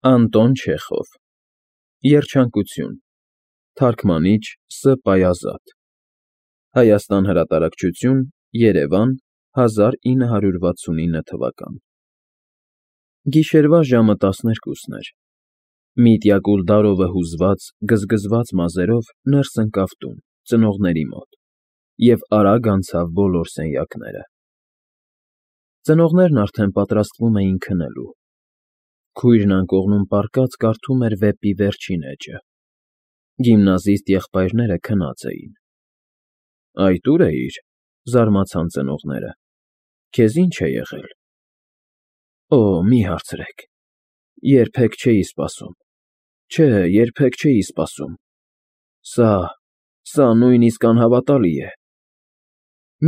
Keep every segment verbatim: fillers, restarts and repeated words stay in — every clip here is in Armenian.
Անտոն Չեխով, Երջանկություն, Թարգմանիչ Ս. Պայազատ, Հայաստան Հրատարակչություն, Երևան, հազար ինը հարյուր վաթսունինը թվական Գիշերվա ժամը տասներկուսն էր, Միտյա Կուլդարովը հուզված, գզգզված մազերով ներս ընկավ տուն, ծնողների մոտ, և արագ անցավ բոլոր սենյակները: Ծնողներն արդեն պատրաստվում էին քնելու: Քույրն անկողնում պառկած կարդում էր վեպի վերջին էջը: Գիմնազիստ եղբայրները քնած էին: Այդ ո՞ւր էիր,- զարմացան ծնողները: Քեզ ի՞նչ է եղել: Օ, մի հարցրեք, երբեք չէի սպասում, չէ, երբեք չէի սպասում, սա, սա նույնիսկ անհավատալի է: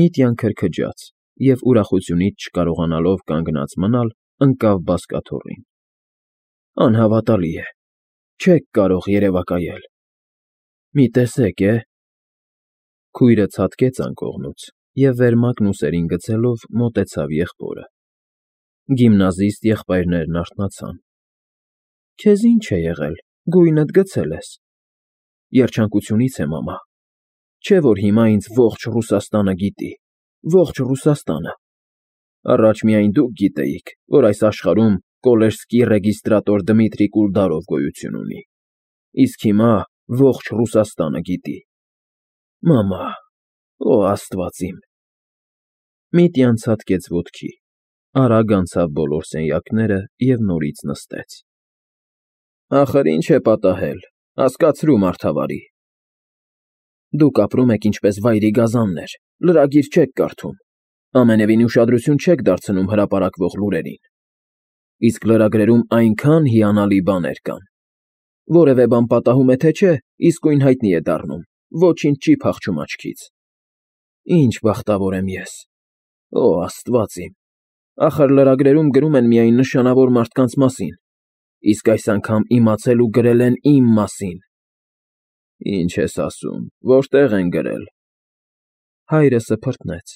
Միտյան քրքջաց և, ուրախությունից չկարողանալով կանգնած մնալ, ընկավ բազկաթոռին: Անհավատալի է, չեք կարող երևակայել: Մի տեսեք է: Քույրը ցատկեց անկողնուց և վերմակն ուսերին գցելով մոտեցավ եղբորը: Գիմնազիստ եղբայրներն արթնացան: Քեզ ի՞նչ է եղել, գույնդ գցել ես: Երջանկությունից է, մամա, չէ՞ որ հիմա ինձ ողջ Ռուսաստանը գիտի, ողջ Ռուսաստանը: Առաջ միայն դուք գիտեիք, որ այս աշխարհում Կոլեժսկի ռեգիստրատոր Դմիտրի Կուլդարով գոյություն ունի, իսկ հիմա ողջ Ռուսաստանը գիտի: Մամա, օ Աստված իմ: Միտյան ցատկեց ոտքի, արագ անցավ բոլոր սենյակները և նորից նստեց: Ախր ինչ է պատահել, հասկացրու, մարդավարի: Դուք ապրում եք ինչպես վայրի գազաններ, լրագիր չեք կարդում, ամենևին ուշադրություն չեք դարձնում հրապարակվող լուրերին: Իսկ լրագրերում այնքան հիանալի բաներ կան: Որևէ բան պատահում է թե չէ, իսկույն հայտնի է դառնում, ոչինչ չի փախչում աչքից: Ինչ բախտավոր եմ ես, օ Աստված իմ, ախր լրագրերում գրում են միայն նշանավոր մարդկանց մասին, իսկ այս անգամ իմացել ու գրել են իմ մասին: Ինչ ես ասում, որտե՞ղ են գրել: Հայրը սփռտնեց,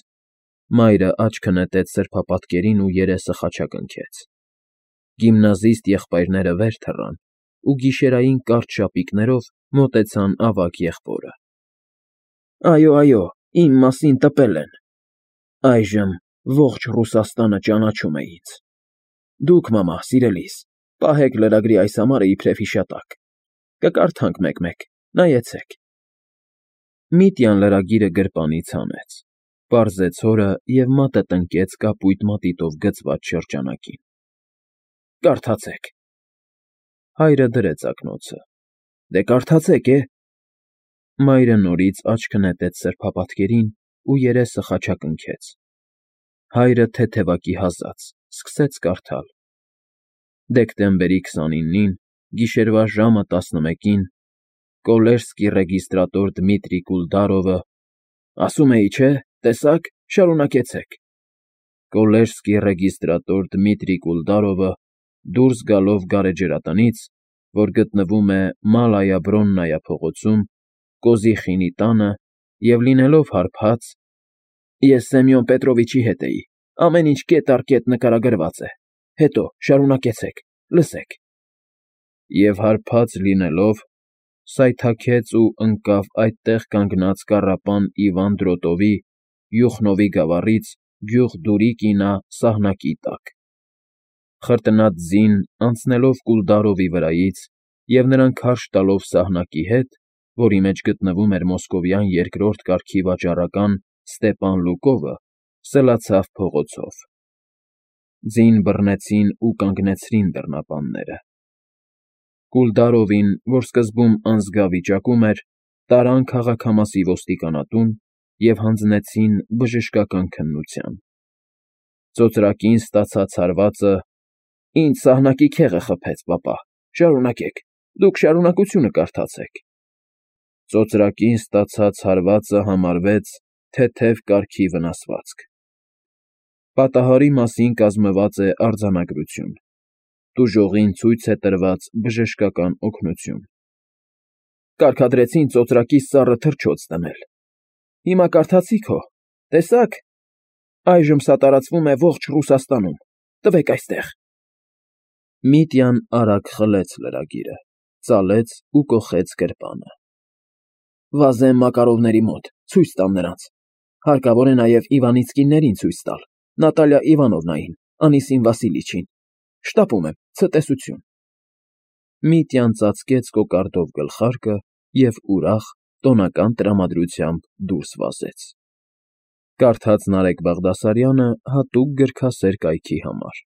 մայրը աչքը նետեց սրբապատկերին ու երեսը խաչակնքեց: Գիմնազիստ եղբայրները վեր թռան ու գիշերային կարճ շապիկներով մոտեցան ավագ եղբորը: Այո, այո, իմ մասին տպել են: Այժմ ողջ Ռուսաստանը ճանաչում է ինձ: Դուք, մամա, սիրելիս, պահեք լրագրի այս համարը իբրև հիշատակ: Կկարդանք մեկ֊մեկ, նայեցեք: Միտյան լրագիրը գրպանից հանեց, պարզեց հորը և մատը տնկեց կապույտ մատիտով գծված շրջանակին: Կարդացեք: Հայրը դրեց ակնոցը: Դե կարդացեք է: Մայրը նորից աչքը նետեց սրբապատկերին ու երեսը խաչակնքեց: Հայրը թեթևակի հազաց, սկսեց կարդալ: Դեկտեմբերի քսանինին, գիշերվա ժամը տասնմեկին, Կոլեժսկի ռեգիստրատոր Դմիտրի Կուլդարովը, ասում էի, չէ՞, տեսաք, շարունակեցեք: Կոլեժսկի ռեգիստրատոր Դմիտրի Կուլդարովը, դուրս գալով գարեջրատնից, որ գտնվում է Մալայա Բրոննայա փողոցում, Կոզիխինի տանը և լինելով հարբած, Ես Սեմյոն Պետրովիչի հետ էի, ամեն ինչ կետ առ կետ նկարագրված է, հետո շարունակեցեք, լսեք: Եվ հարբած լինելով, սայթաքեց ու ընկավ այդտեղ կանգնած կառապան Իվան Դրոտովի, Յուխնովի գավառից գյուղ Դուրիկինա սահնակի տակ: Խրտնած ձին, անցնելով Կուլդարովի վրայից և նրան քարշ տալով սահնակի հետ, որի մեջ գտնվում էր մոսկովյան երկրորդ կարգի վաճառական Ստեպան Լուկովը, սլացավ փողոցով: Ձին բռնեցին ու կանգնեցրին բռնապանները: Կուլդարովին, որ սկզբում անզգա վիճակում էր, տարան քաղաքամասի ոստիկանատուն և հանձնեցին բժշկական քննության: Ծոծրակին ստացած հարվածը, Ինձ սահնակի քեղը խփեց, պապա, շարունակեք, դուք շարունակությունը կարդացեք: Ծոծրակին ստացած հարվածը համարվեց թեթև կարգի վնասվածք: Պատահարի մասին կազմված է արձանագրություն: Տուժողին ցույց է տրված բժշկական օգնություն: Կարգադրեցին ծոծրակիս սառը թռչոց դնել: Հիմա կարդացիք հո, տեսա՞ք: Այժմ սա տարածվում է ողջ Ռուսաստանում, տվեք այստեղ: Միտյան արագ խլեց լրագիրը, ծալեց ու կոխեց գրպանը։ Վազեմ Մակարովների մոտ, ցույց տամ նրանց, հարկավոր է նաև Իվանիցկիներին ցույց տալ, Նատալիա Իվանովնային, Անիսին Վասիլիչին, շտապում եմ, ցտեսություն։ Միտյան ծածկեց կոկարդով գլխարկը և ուրախ, տոնական տրամադրությամբ դուրս վազեց։ Կարդաց Նարեկ Բաղդասարյանը հատուկ գրքասեր կայքի համար։